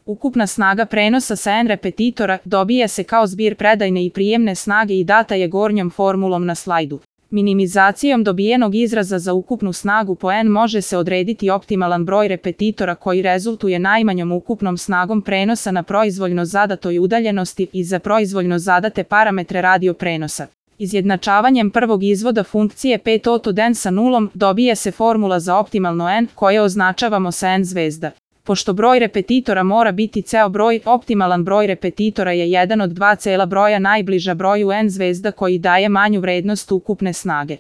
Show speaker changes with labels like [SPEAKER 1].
[SPEAKER 1] Ukupna snaga prenosa sa N repetitora dobija se kao zbir predajne i prijemne snage i data je gornjom formulom na slajdu. Minimizacijom dobijenog izraza za ukupnu snagu po N može se odrediti optimalan broj repetitora koji rezultuje najmanjom ukupnom snagom prenosa na proizvoljno zadatoj udaljenosti i za proizvoljno zadate parametre radio prenosa. Izjednačavanjem prvog izvoda funkcije 5 od N sa nulom dobije se formula za optimalno N koje označavamo sa N zvezda. Pošto broj repetitora mora biti ceo broj, optimalan broj repetitora je 1 od 2 cela broja najbliža broju N zvezda koji daje manju vrednost ukupne snage.